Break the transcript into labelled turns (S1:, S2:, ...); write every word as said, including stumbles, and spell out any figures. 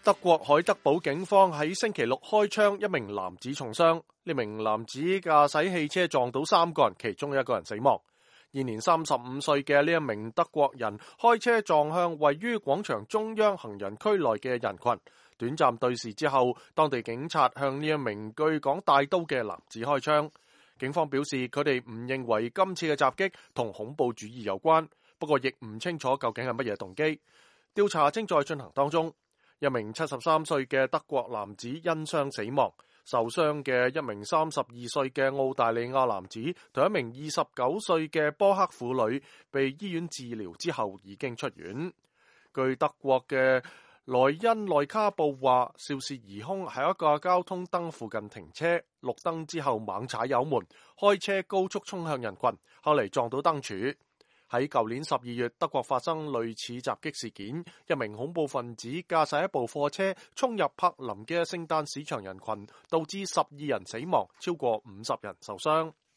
S1: 德國海德堡警方喺星期六開槍，一名男子重傷。呢名男子駕駛汽車撞到三個人，其中一個人死亡。現年三十五歲嘅呢一名德國人開車撞向位於廣場中央行人區內嘅人群，短暫對視之後，當地警察向呢一名據講帶刀嘅男子開槍。警方表示佢哋唔認為今次嘅襲擊同恐怖主義有關，不過亦唔清楚究竟係乜嘢動機。調查正在進行當中。一名七十三歲嘅德國男子因傷死亡，受傷嘅一名三十二歲嘅澳大利亞男子同一名二十九歲嘅波克婦女被醫院治療之後已經出院。據德國嘅萊茵內卡報話，肇事疑兇喺一個交通燈附近停車，綠燈之後猛踩油門，開車高速衝向人群，後嚟撞到燈柱。喺舊年十二月，德國發生類似襲擊事件，一名恐怖分子駕駛一部貨車衝入柏林嘅聖誕市場人群，導致十二人死亡，超過五十人受傷。